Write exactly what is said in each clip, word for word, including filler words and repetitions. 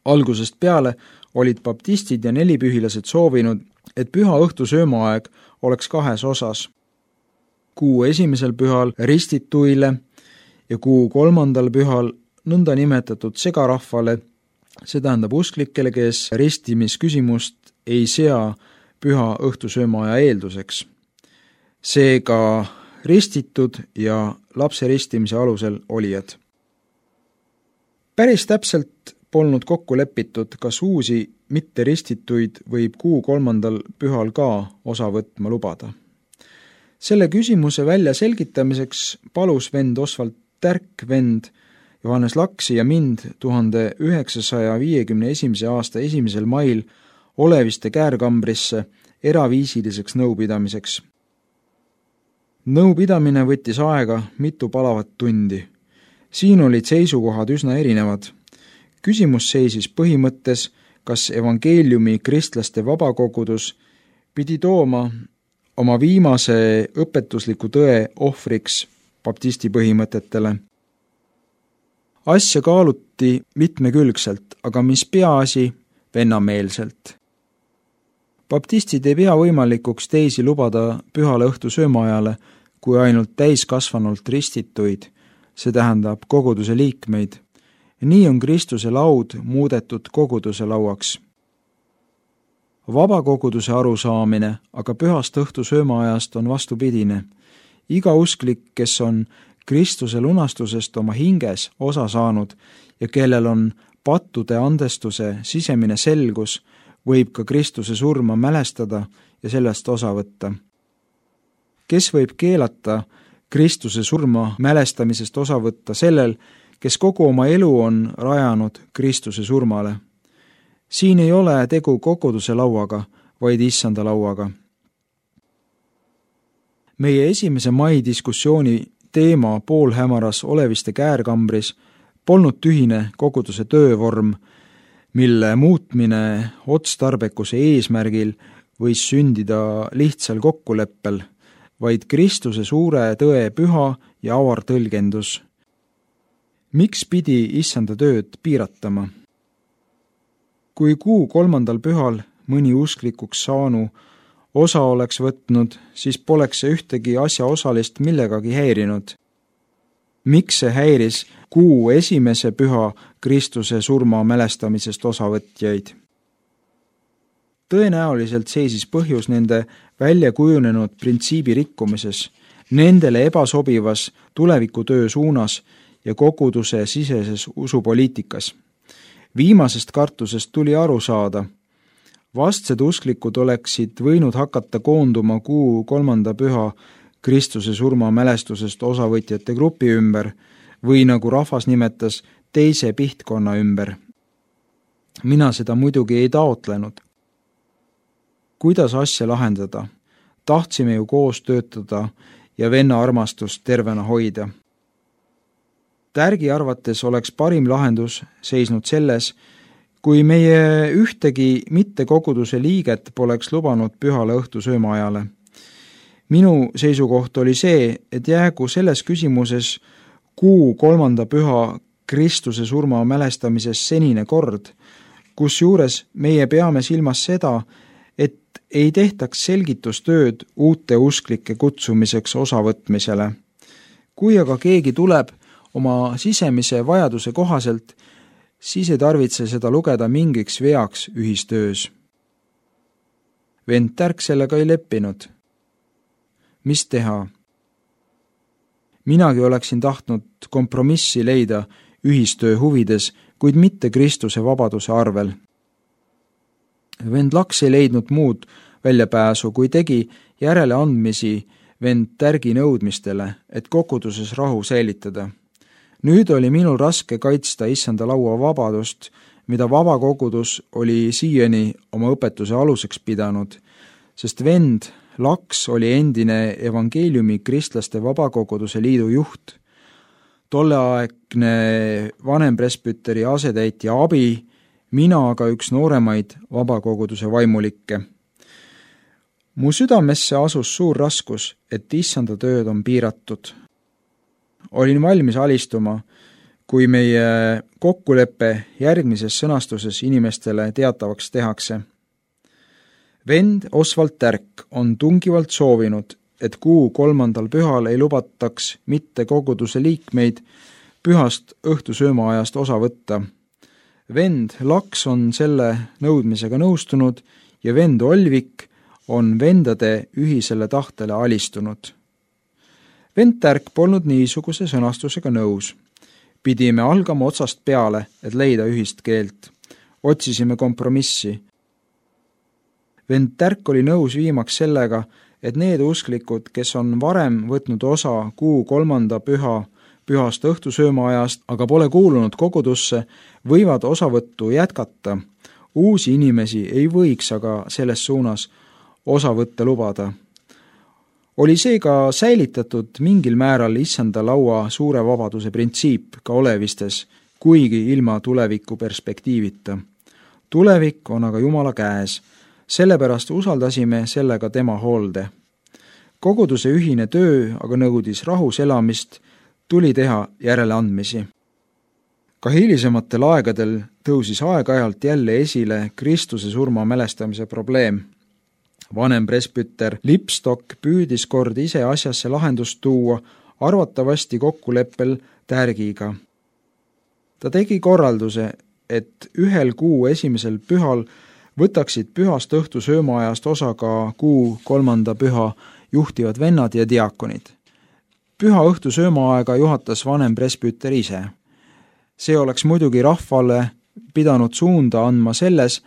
Algusest peale olid baptistid ja nelipühilased soovinud, et püha õhtu söömaaeg oleks kahes osas. Kuu esimesel pühal ristituile ja kuu kolmandal pühal nõnda nimetatud segarahvale, see tähendab usklikele, kes ristimisküsimust ei sea püha õhtusöömaaja eelduseks. Seega ristitud ja lapse ristimise alusel olijad. Päris täpselt polnud kokku lepitud, kas uusi mitte ristituid võib kuu kolmandal pühal ka osa võtma lubada. Selle küsimuse välja selgitamiseks palus vend Osvald Tärk vend Johannes Laksi ja mind tuhande üheksasaja viiekümne esimese aasta esimesel mail Oleviste käärkambrisse eraviisiliseks nõupidamiseks. Nõupidamine võttis aega mitu palavat tundi. Siin olid seisukohad üsna erinevad. Küsimus seisis põhimõttes, kas evangeeliumi kristlaste vabakogudus pidi tooma oma viimase õpetusliku tõe ohvriks baptisti põhimõtetele. Asja kaaluti mitmekülgselt, aga mis peaasi, vennameelselt. Baptistid ei pea võimalikuks teisi lubada pühale õhtu söömaajale, kui ainult täiskasvanult ristituid, see tähendab koguduse liikmeid. Nii on Kristuse laud muudetud koguduse lauaks. Vabakoguduse arusaamine aga pühast õhtu söömaajast on vastupidine. Iga usklik, kes on Kristuse lunastusest oma hinges osa saanud ja kellel on pattude andestuse sisemine selgus, võib ka Kristuse surma mälestada ja sellest osa võtta. Kes võib keelata Kristuse surma mälestamisest osa võtta sellel, kes kogu oma elu on rajanud Kristuse surmale? Siin ei ole tegu koguduse lauaga, vaid issanda lauaga. Meie esimese mai diskussiooni teema poolhämaras Oleviste käärkambris polnud tühine koguduse töövorm, mille muutmine otstarbekuse eesmärgil võis sündida lihtsal kokkuleppel, vaid Kristuse suure tõe püha ja avar tõlgendus. Miks pidi issanda tööd piiratama? Kui kuu kolmandal pühal mõni usklikuks saanu osa oleks võtnud, siis poleks see ühtegi asjaosalist millegagi häirinud. Miks see häiris kuu esimese püha Kristuse surma mälestamisest osavõtjaid? Tõenäoliselt seisis põhjus nende välja kujunenud printsiibi rikkumises, nendele ebasobivas tulevikutöö suunas ja koguduse siseses usupoliitikas. Viimasest kartusest tuli aru saada. Vastsed usklikud oleksid võinud hakata koonduma kuu kolmanda püha Kristuse surma mälestusest osavõtjate grupi ümber või nagu rahvas nimetas, teise pihtkonna ümber. Mina seda muidugi ei taotlenud. Kuidas asja lahendada? Tahtsime ju koos töötada ja venna armastust tervena hoida. Tärgi arvates oleks parim lahendus seisnud selles, kui meie ühtegi mitte koguduse liiget poleks lubanud pühale õhtu söömaajale. Minu seisukoht oli see, et jäägu selles küsimuses kuu kolmanda püha Kristuse surma mälestamises senine kord, kus juures meie peame silmas seda, et ei tehtaks selgitustööd uute usklike kutsumiseks osavõtmisele. Kui aga keegi tuleb oma sisemise vajaduse kohaselt, siis ei tarvitse seda lugeda mingiks veaks ühistöös. Vend Tärk sellega ei leppinud. Mis teha? Minagi oleksin tahtnud kompromissi leida ühistöö huvides, kuid mitte Kristuse vabaduse arvel. Vend Laks ei leidnud muud väljapääsu, kui tegi järeleandmisi vend Tärgi nõudmistele, et koguduses rahu säilitada. Nüüd oli minul raske kaitsta issanda laua vabadust, mida vabakogudus oli siiani oma õpetuse aluseks pidanud, sest vend Laks oli endine evangeeliumi kristlaste vabakoguduse liidu juht, tolleaegne vanempresbüteri asetäitja abi, mina aga üks nooremaid vabakoguduse vaimulikke. Mu südamesse asus suur raskus, et issanda tööd on piiratud. Olin valmis alistuma, kui meie kokkuleppe järgmises sõnastuses inimestele teatavaks tehakse. Vend Oswald Tärk on tungivalt soovinud, et kuu kolmandal pühal ei lubataks mitte koguduse liikmeid pühast õhtusöömaajast osa võtta. Vend Laks on selle nõudmisega nõustunud ja vend Olvik on vendade ühisele tahtele alistunud. Vend Tärk polnud niisuguse sõnastusega nõus. Pidime algama otsast peale, et leida ühist keelt. Otsisime kompromissi. Vend Tärk oli nõus viimaks sellega, et need usklikud, kes on varem võtnud osa kuu kolmanda püha pühast õhtusöömaajast, aga pole kuulunud kogudusse, võivad osavõttu jätkata. Uusi inimesi ei võiks aga selles suunas osa võtta lubada. Oli seega säilitatud mingil määral issanda laua suure vabaduse printsiip ka olevistes, kuigi ilma tuleviku perspektiivita. Tulevik on aga Jumala käes, sellepärast usaldasime sellega tema hoolde. Koguduse ühine töö aga nõudis rahus elamist, tuli teha järeleandmisi. Ka hilisematel aegadel tõusis aeg-ajalt jälle esile Kristuse surma mälestamise probleem. Vanem presbüter Lipstock püüdis kord ise asjasse lahendust tuua, arvatavasti kokkuleppel Tärgiga. Ta tegi korralduse, et ühel kuu esimesel pühal võtaksid pühast õhtusöömaajast osa ka kuu kolmanda püha juhtivad vennad ja diakonid. Püha õhtusöömaaega juhatas vanem presbüter ise. See oleks muidugi rahvale pidanud suunda andma selles,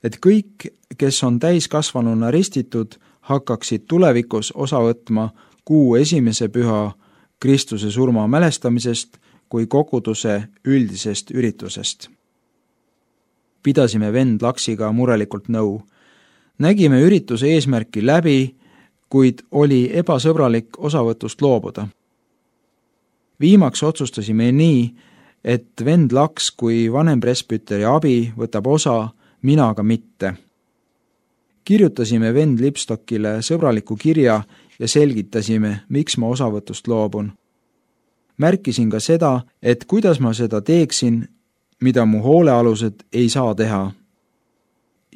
et kõik, kes on täiskasvanuna ristitud, hakkaksid tulevikus osa võtma kuu esimese püha Kristuse surma mälestamisest kui koguduse üldisest üritusest. Pidasime vend Laksiga murelikult nõu. Nägime ürituse eesmärki läbi, kuid oli ebasõbralik osavõtust loobuda. Viimaks otsustasime nii, et vend Laks kui vanem presbüteri abi võtab osa, mina aga mitte. Kirjutasime vend Lipstockile sõbraliku kirja ja selgitasime, miks ma osavõtust loobun. Märkisin ka seda, et kuidas ma seda teeksin, mida mu hoolealused ei saa teha.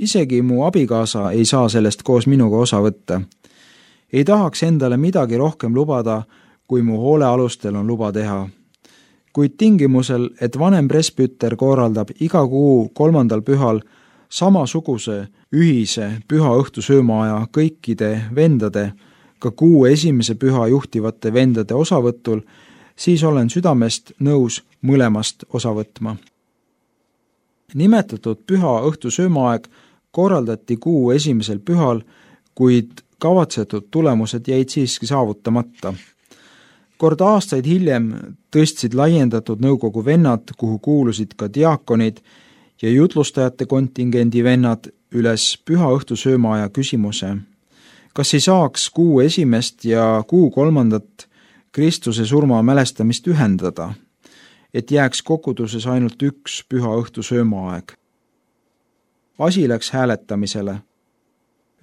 Isegi mu abikaasa ei saa sellest koos minuga osa võtta. Ei tahaks endale midagi rohkem lubada, kui mu hoolealustel on luba teha. Kuid tingimusel, et vanem presbüter korraldab iga kuu kolmandal pühal samasuguse ühise püha õhtusöömaaja kõikide vendade, ka kuu esimese püha juhtivate vendade osavõtul, siis olen südamest nõus mõlemast osa võtma. Nimetatud püha õhtusöömaaeg korraldati kuu esimesel pühal, kuid kavatsetud tulemused jäid siiski saavutamata. Kord aastaid hiljem tõstsid laiendatud nõukogu vennad, kuhu kuulusid ka diakonid ja jutlustajate kontingendi vennad üles püha õhtusöömaaja küsimuse. Kas ei saaks kuu esimest ja kuu kolmandat Kristuse surma mälestamist ühendada, et jääks koguduses ainult üks püha õhtusöömaaeg? Asi läks hääletamisele.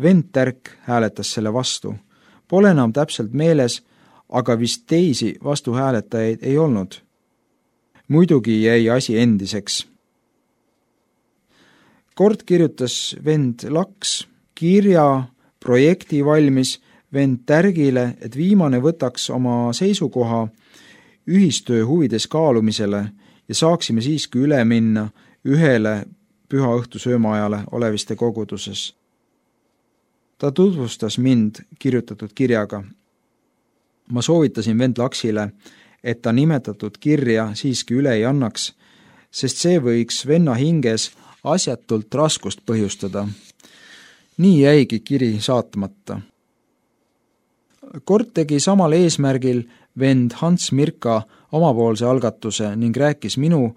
Vend Tärk hääletas selle vastu. Pole enam täpselt meeles, aga vist teisi vastuhääletajaid ei olnud. Muidugi jäi asi endiseks. Kord kirjutas vend Laks kirja projekti valmis vend Tärgile, et viimane võtaks oma seisukoha ühistöö huvides kaalumisele ja saaksime siiski üle minna ühele püha õhtusöömaajale oleviste koguduses. Ta tutvustas mind kirjutatud kirjaga. Ma soovitasin vend Laksile, et ta nimetatud kirja siiski üle ei annaks, sest see võiks venna hinges asjatult raskust põhjustada. Nii jäigi kiri saatmata. Kord tegi samal eesmärgil vend Hans Mirka omapoolse algatuse ning rääkis minu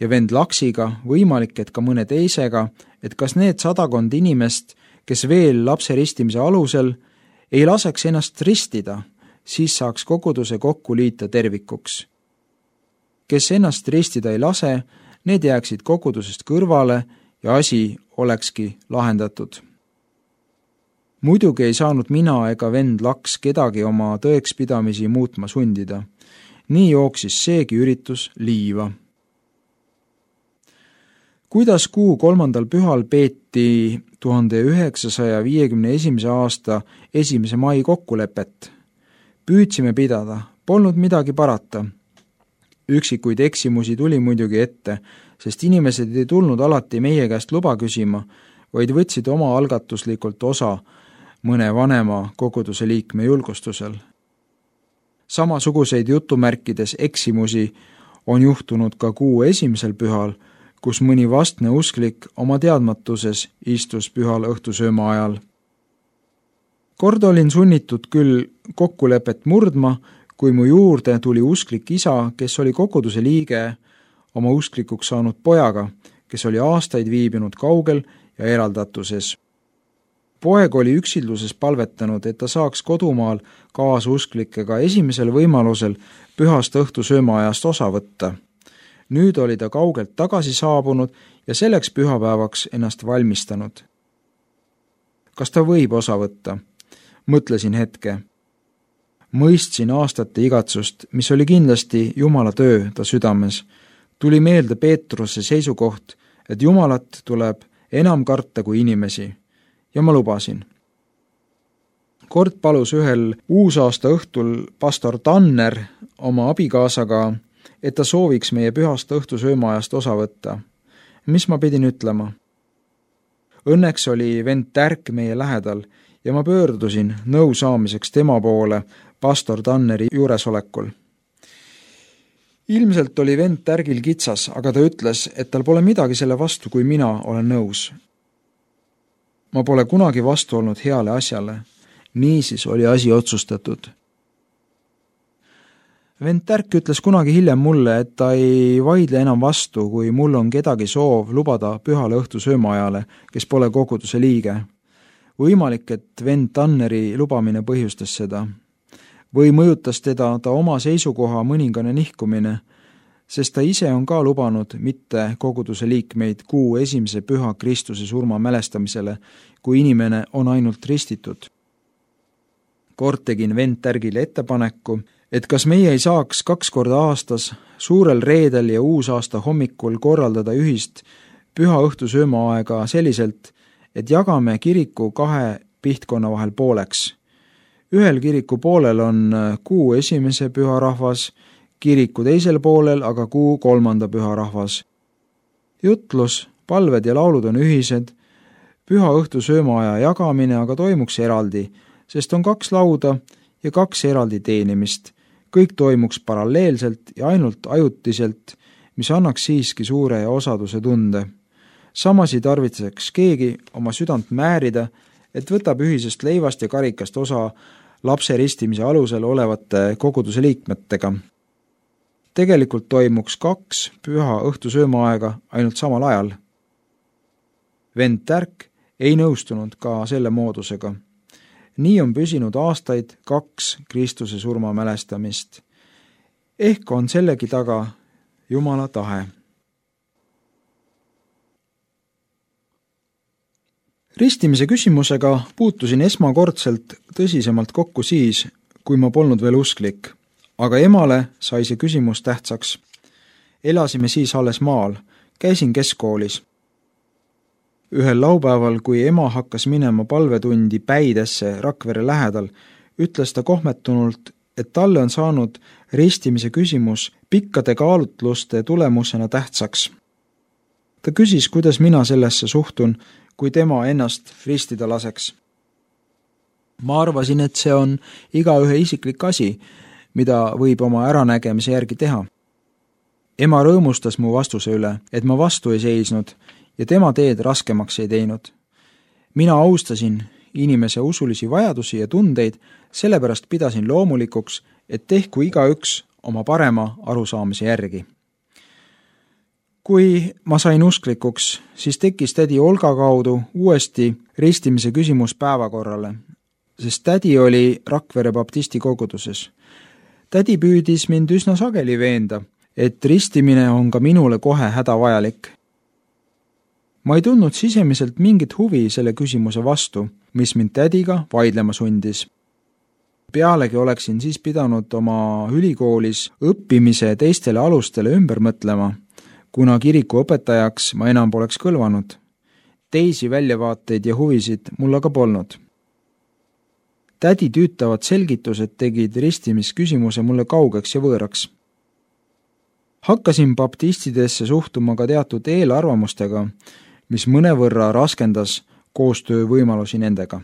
ja vend Laksiga, võimalik, et ka mõne teisega, et kas need sadakond inimest, kes veel lapse ristimise alusel, ei laseks ennast ristida, siis saaks koguduse kokku liita tervikuks. Kes ennast ristida ei lase, need jääksid kogudusest kõrvale ja asi olekski lahendatud. Muidugi ei saanud mina ega vend Laks kedagi oma tõekspidamisi muutma sundida. Nii jooksis seegi üritus liiva. Kuidas kuu kolmandal pühal peeti tuhande üheksasaja viiekümne esimese aasta esimese mai kokkulepet? Püüdsime pidada, polnud midagi parata. Üksikuid eksimusi tuli muidugi ette, sest inimesed ei tulnud alati meie käest luba küsima, vaid võtsid oma algatuslikult osa mõne vanema koguduse liikme julgustusel. Samasuguseid jutumärkides eksimusi on juhtunud ka kuu esimesel pühal, kus mõni vastne usklik oma teadmatuses istus pühal õhtusööma ajal. Kord olin sunnitud küll kokkulepet murdma, kui mu juurde tuli usklik isa, kes oli koguduse liige oma usklikuks saanud pojaga, kes oli aastaid viibinud kaugel ja eraldatuses. Poeg oli üksilduses palvetanud, et ta saaks kodumaal kaasusklikega esimesel võimalusel pühast õhtusöömaajast osa võtta. Nüüd oli ta kaugelt tagasi saabunud ja selleks pühapäevaks ennast valmistanud. Kas ta võib osa võtta? Mõtlesin hetke. Mõistsin aastate igatsust, mis oli kindlasti Jumala töö ta südames. Tuli meelde Peetruse seisukoht, et Jumalat tuleb enam karta kui inimesi, ja ma lubasin. Kord palus ühel uusaasta õhtul pastor Tanner oma abikaasaga, et ta sooviks meie pühast õhtusöömaajast osa võtta. Mis ma pidin ütlema? Õnneks oli vend Tärk meie lähedal ja ma pöördusin nõu saamiseks tema poole pastor Tanneri juuresolekul. Ilmselt oli vend Tärgil kitsas, aga ta ütles, et tal pole midagi selle vastu, kui mina olen nõus. Ma pole kunagi vastu olnud heale asjale. Niisiis oli asi otsustatud. Vend Tärk ütles kunagi hiljem mulle, et ta ei vaidle enam vastu, kui mul on kedagi soov lubada pühale õhtusöömaajale, kes pole koguduse liige. Võimalik, et vend Tanneri lubamine põhjustas seda. Või mõjutas teda ta oma seisukoha mõningane nihkumine, sest ta ise on ka lubanud mitte koguduse liikmeid kuu esimese püha Kristuse surma mälestamisele, kui inimene on ainult ristitud. Kord tegin vend Tärgile ettepaneku, et kas meie ei saaks kaks korda aastas suurel reedel ja uusaasta hommikul korraldada ühist püha õhtusöömaaega selliselt, et jagame kiriku kahe pihtkonna vahel pooleks. Ühel kiriku poolel on kuu esimese püha rahvas, kiriku teisel poolel aga kuu kolmanda püha rahvas. Jutlus, palved ja laulud on ühised, püha õhtusöömaaja jagamine aga toimuks eraldi, sest on kaks lauda ja kaks eraldi teenimist. Kõik toimuks paralleelselt ja ainult ajutiselt, mis annaks siiski suure ja osaduse tunde. Samas ei tarvitseks keegi oma südant määrida, et võtab ühisest leivast ja karikast osa lapse ristimise alusel olevate koguduse liikmetega. Tegelikult toimuks kaks püha õhtusöömaaega ainult samal ajal. Vend Tärk ei nõustunud ka selle moodusega. Nii on püsinud aastaid kaks Kristuse surma mälestamist. Ehk on sellegi taga Jumala tahe. Ristimise küsimusega puutusin esmakordselt tõsisemalt kokku siis, kui ma polnud veel usklik, aga emale sai see küsimus tähtsaks. Elasime siis alles maal, käisin keskkoolis. Ühel laupäeval, kui ema hakkas minema palvetundi Päidesse Rakvere lähedal, ütles ta kohmetunult, et talle on saanud ristimise küsimus pikkade kaalutluste tulemusena tähtsaks. Ta küsis, kuidas mina sellesse suhtun, kui tema ennast ristida laseks. Ma arvasin, et see on igaühe isiklik asi, mida võib oma äranägemise järgi teha. Ema rõõmustas mu vastuse üle, et ma vastu ei seisnud ja tema teed raskemaks ei teinud. Mina austasin inimese usulisi vajadusi ja tundeid, sellepärast pidasin loomulikuks, et tehku igaüks oma parema arusaamise järgi. Kui ma sain usklikuks, siis tekkis tädi Olga kaudu uuesti ristimise küsimus päevakorrale, sest tädi oli Rakvere baptisti koguduses. Tädi püüdis mind üsna sageli veenda, et ristimine on ka minule kohe hädavajalik. Ma ei tundnud sisemiselt mingit huvi selle küsimuse vastu, mis mind tädiga vaidlema sundis. Pealegi oleksin siis pidanud oma ülikoolis õppimise teistele alustele ümber mõtlema, kuna kiriku õpetajaks ma enam poleks kõlvanud. Teisi väljavaateid ja huvisid mul aga polnud. Tädi tüütavad selgitused tegid ristimisküsimuse mulle kaugeks ja võõraks. Hakkasin baptistidesse suhtuma ka teatud eelarvamustega, mis mõnevõrra raskendas koostöö võimalusi nendega.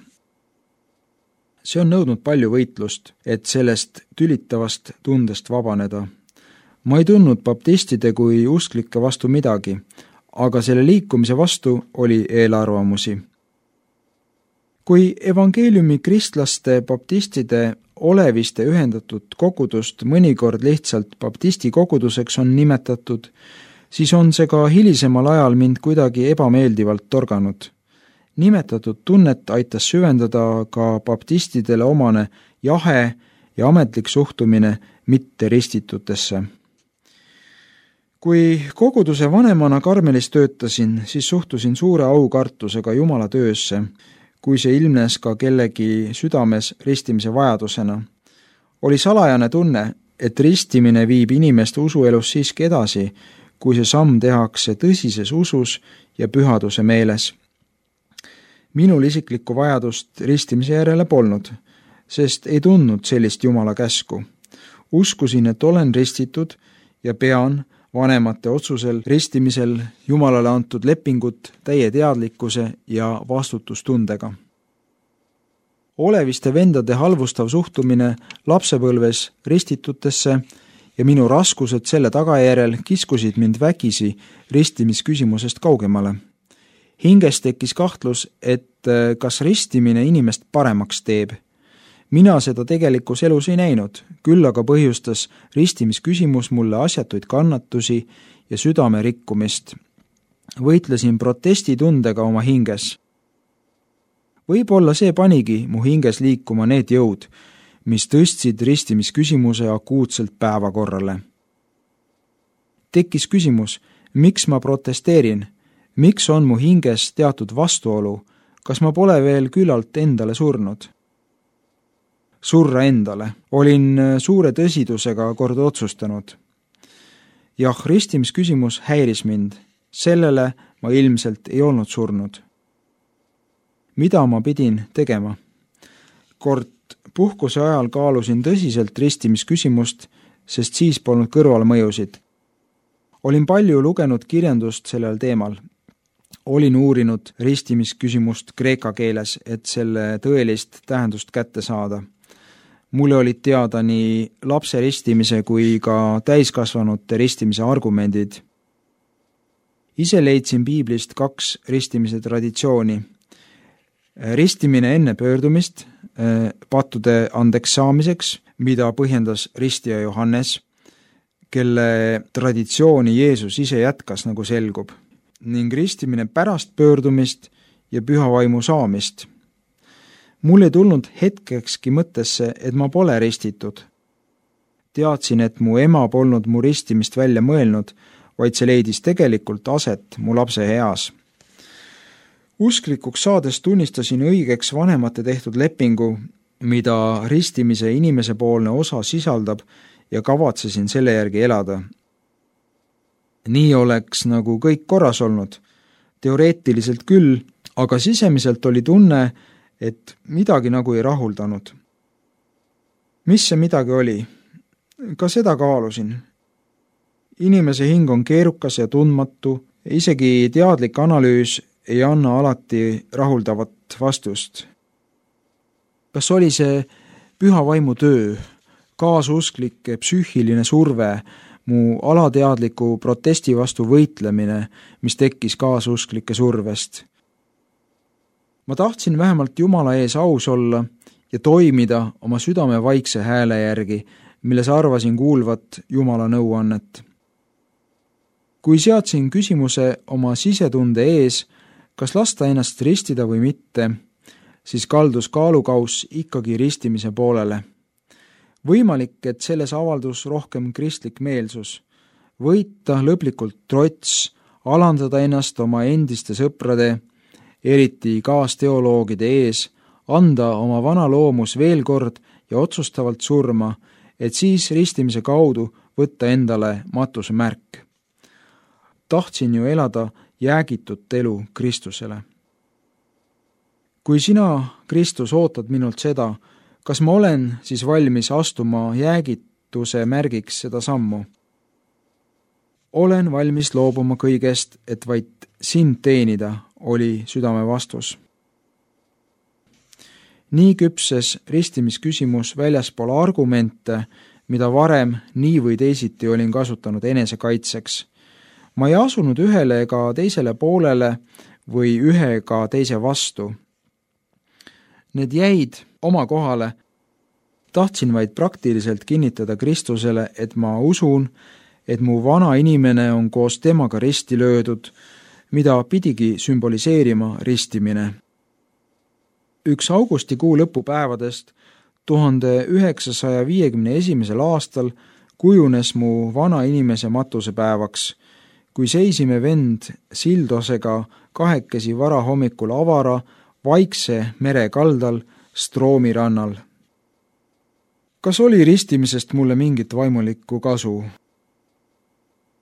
See on nõudnud palju võitlust, et sellest tülitavast tundest vabaneda. Ma ei tundnud baptistide kui usklike vastu midagi, aga selle liikumise vastu oli eelarvamusi. Kui evangeeliumi kristlaste baptistide oleviste ühendatud kogudust mõnikord lihtsalt baptisti koguduseks on nimetatud, siis on see ka hilisemal ajal mind kuidagi ebameeldivalt torganud. Nimetatud tunnet aitas süvendada ka baptistidele omane jahe ja ametlik suhtumine mitte ristitutesse. Kui koguduse vanemana Karmelis töötasin, siis suhtusin suure aukartusega Jumala töösse, kui see ilmnes ka kellegi südames ristimise vajadusena. Oli salajane tunne, et ristimine viib inimeste usuelus siiski edasi, kui see samm tehakse tõsises usus ja pühaduse meeles. Minul isiklikku vajadust ristimise järele polnud, sest ei tundnud sellist Jumala käsku. Uskusin, et olen ristitud ja pean vanemate otsusel ristimisel Jumalale antud lepingut täie teadlikkuse ja vastutustundega. Oleviste vendade halvustav suhtumine lapsepõlves ristitutesse ja minu raskused selle tagajärjel kiskusid mind vägisi ristimisküsimusest kaugemale. Hinges tekkis kahtlus, et kas ristimine inimest paremaks teeb. Mina seda tegelikus elus ei näinud, küll aga põhjustas ristimisküsimus mulle asjatuid kannatusi ja südame rikkumist. Võitlesin protestitundega oma hinges. Võib-olla see panigi mu hinges liikuma need jõud, mis tõstsid ristimisküsimuse akuutselt päevakorrale. Tekkis küsimus, miks ma protesteerin, miks on mu hinges teatud vastuolu, kas ma pole veel küllalt endale surnud? Surra endale. Olin suure tõsidusega kord otsustanud. Jah, ristimisküsimus häiris mind. Sellele ma ilmselt ei olnud surnud. Mida ma pidin tegema? Kord puhkuse ajal kaalusin tõsiselt ristimisküsimust, sest siis polnud kõrvalmõjusid. Olin palju lugenud kirjandust sellel teemal. Olin uurinud ristimisküsimust kreeka keeles, et selle tõelist tähendust kätte saada. Mulle olid teada nii lapse ristimise kui ka täiskasvanute ristimise argumendid. Ise leidsin piiblist kaks ristimise traditsiooni. Ristimine enne pöördumist pattude andeks saamiseks, mida põhjendas ristija Johannes, kelle traditsiooni Jeesus ise jätkas, nagu selgub, ning ristimine pärast pöördumist ja püha vaimu saamist. Mul ei tulnud hetkekski mõttesse, et ma pole ristitud. Teadsin, et mu ema polnud mu ristimist välja mõelnud, vaid see leidis tegelikult aset mu lapse eas. Usklikuks saades tunnistasin õigeks vanemate tehtud lepingu, mida ristimise inimesepoolne osa sisaldab ja kavatsesin selle järgi elada. Nii oleks nagu kõik korras olnud. Teoreetiliselt küll, aga sisemiselt oli tunne, et midagi nagu ei rahuldanud. Mis see midagi oli? Ka seda kaalusin. Inimese hing on keerukas ja tundmatu, isegi teadlik analüüs ei anna alati rahuldavat vastust. Kas oli see püha vaimu töö, kaasusklik psüühiline surve, mu alateadliku protesti vastu võitlemine, mis tekkis kaasusklike survest? Ma tahtsin vähemalt Jumala ees aus olla ja toimida oma südame vaikse hääle järgi, milles arvasin kuulvat Jumala nõuannet. Kui seadsin küsimuse oma sisetunde ees, kas lasta ennast ristida või mitte, siis kaldus kaalukauss ikkagi ristimise poolele. Võimalik, et selles avaldus rohkem kristlik meelsus, võita lõplikult trots, alandada ennast oma endiste sõprade, eriti kaasteoloogide ees, anda oma vana loomus veel kord ja otsustavalt surma, et siis ristimise kaudu võtta endale matuse märk. tahtsin ju elada jäägitut elu Kristusele. Kui sina, Kristus, ootad minult seda, kas ma olen siis valmis astuma jäägituse märgiks seda sammu? Olen valmis loobuma kõigest, et vaid sind teenida, oli südame vastus. Nii küpses ristimisküsimus väljaspool argumente, mida varem nii või teisiti olin kasutanud enesekaitseks. Ma ei asunud ühele ega teisele poolele või ühe ega teise vastu. Need jäid oma kohale. Tahtsin vaid praktiliselt kinnitada Kristusele, et ma usun, et mu vana inimene on koos temaga risti löödud, mida pidigi sümboliseerima ristimine. Üks augustikuu lõpupäevadest tuhande üheksasaja viiekümne esimesel aastal kujunes mu vana inimese matusepäevaks, kui seisime vend Sildosega kahekesi varahommikul avara, vaikse mere kaldal Stroomi rannal. Kas oli ristimisest mulle mingit vaimulikku kasu?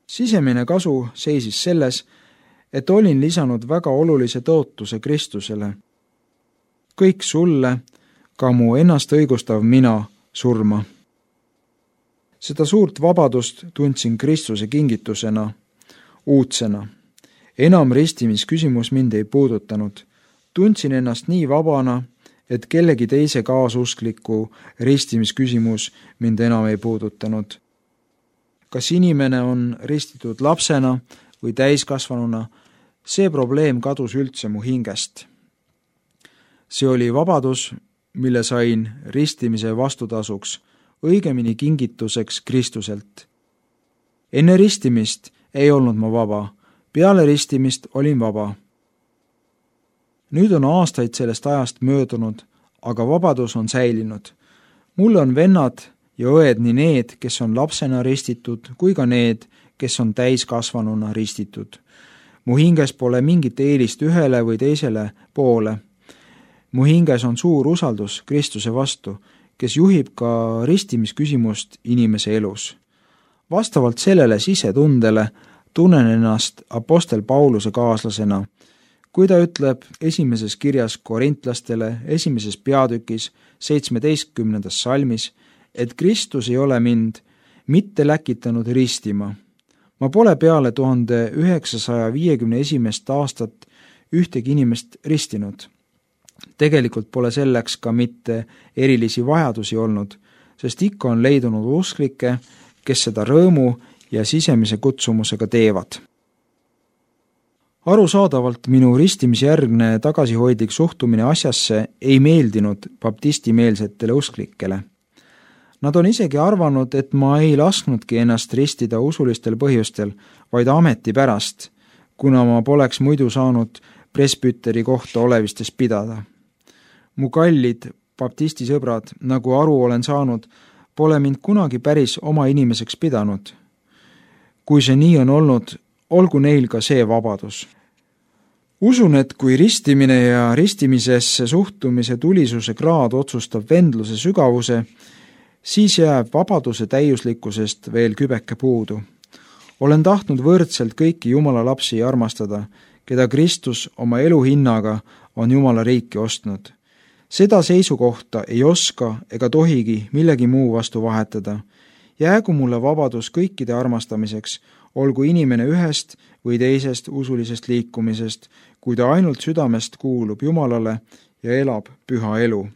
Sisemine kasu seisis selles, et olin lisanud väga olulise tõotuse Kristusele. Kõik sulle, ka mu ennast õigustav mina, surma. Seda suurt vabadust tundsin Kristuse kingitusena, uudsena. Enam ristimisküsimus mind ei puudutanud. Tundsin ennast nii vabana, et kellegi teise kaasuskliku ristimisküsimus mind enam ei puudutanud. Kas inimene on ristitud lapsena või täiskasvanuna, see probleem kadus üldse mu hingest. See oli vabadus, mille sain ristimise vastutasuks, õigemini kingituseks Kristuselt. Enne ristimist ei olnud ma vaba, peale ristimist olin vaba. Nüüd on aastaid sellest ajast möödunud, aga vabadus on säilinud. Mul on vennad ja õed nii need, kes on lapsena ristitud, kui ka need, kes on täiskasvanuna ristitud. Mu hinges pole mingit eelist ühele või teisele poole. Mu hinges on suur usaldus Kristuse vastu, kes juhib ka ristimisküsimust inimese elus. Vastavalt sellele sisetundele tunnen ennast apostel Pauluse kaaslasena, kui ta ütleb esimeses kirjas korintlastele esimeses peatükis seitsmeteistkümnendas salmis, et Kristus ei ole mind mitte läkitanud ristima. Ma pole peale tuhande üheksasaja viiekümne esimest aastat ühtegi inimest ristinud. Tegelikult pole selleks ka mitte erilisi vajadusi olnud, sest ikka on leidunud usklikke, kes seda rõõmu ja sisemise kutsumusega teevad. Arusaadavalt minu ristimisjärgne tagasihoidlik suhtumine asjasse ei meeldinud baptistimeelsetele usklikele. Nad on isegi arvanud, et ma ei lasknudki ennast ristida usulistel põhjustel, vaid ameti pärast, kuna ma poleks muidu saanud presbüteri kohta olevistes pidada. Mu kallid baptistisõbrad, nagu aru olen saanud, pole mind kunagi päris oma inimeseks pidanud. Kui see nii on olnud, olgu neil ka see vabadus. Usun, et kui ristimine ja ristimisesse suhtumise tulisuse kraad otsustab vendluse sügavuse, siis jääb vabaduse täiuslikkusest veel kübeke puudu. Olen tahtnud võrdselt kõiki Jumala lapsi armastada, keda Kristus oma elu hinnaga on Jumala riiki ostnud. Seda seisukohta ei oska ega tohigi millegi muu vastu vahetada. Jäägu mulle vabadus kõikide armastamiseks, olgu inimene ühest või teisest usulisest liikumisest, kui ta ainult südamest kuulub Jumalale ja elab püha elu.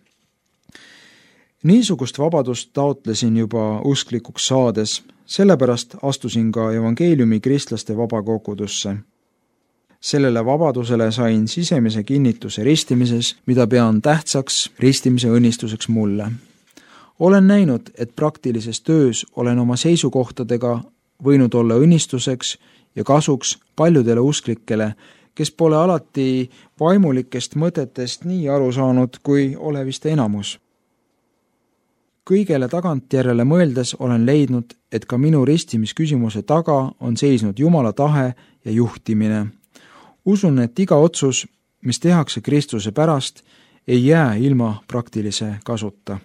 Niisugust vabadust taotlesin juba usklikuks saades, sellepärast astusin ka evangeeliumi kristlaste vabakogudusse. Sellele vabadusele sain sisemise kinnituse ristimises, mida pean tähtsaks ristimise õnnistuseks mulle. Olen näinud, et praktilises töös olen oma seisukohtadega võinud olla õnnistuseks ja kasuks paljudele usklikele, kes pole alati vaimulikest mõtetest nii aru saanud, kui olevist enamus. Kõigele tagantjärele mõeldes olen leidnud, et ka minu ristimisküsimuse taga on seisnud Jumala tahe ja juhtimine. Usun, et iga otsus, mis tehakse Kristuse pärast, ei jää ilma praktilise kasuta.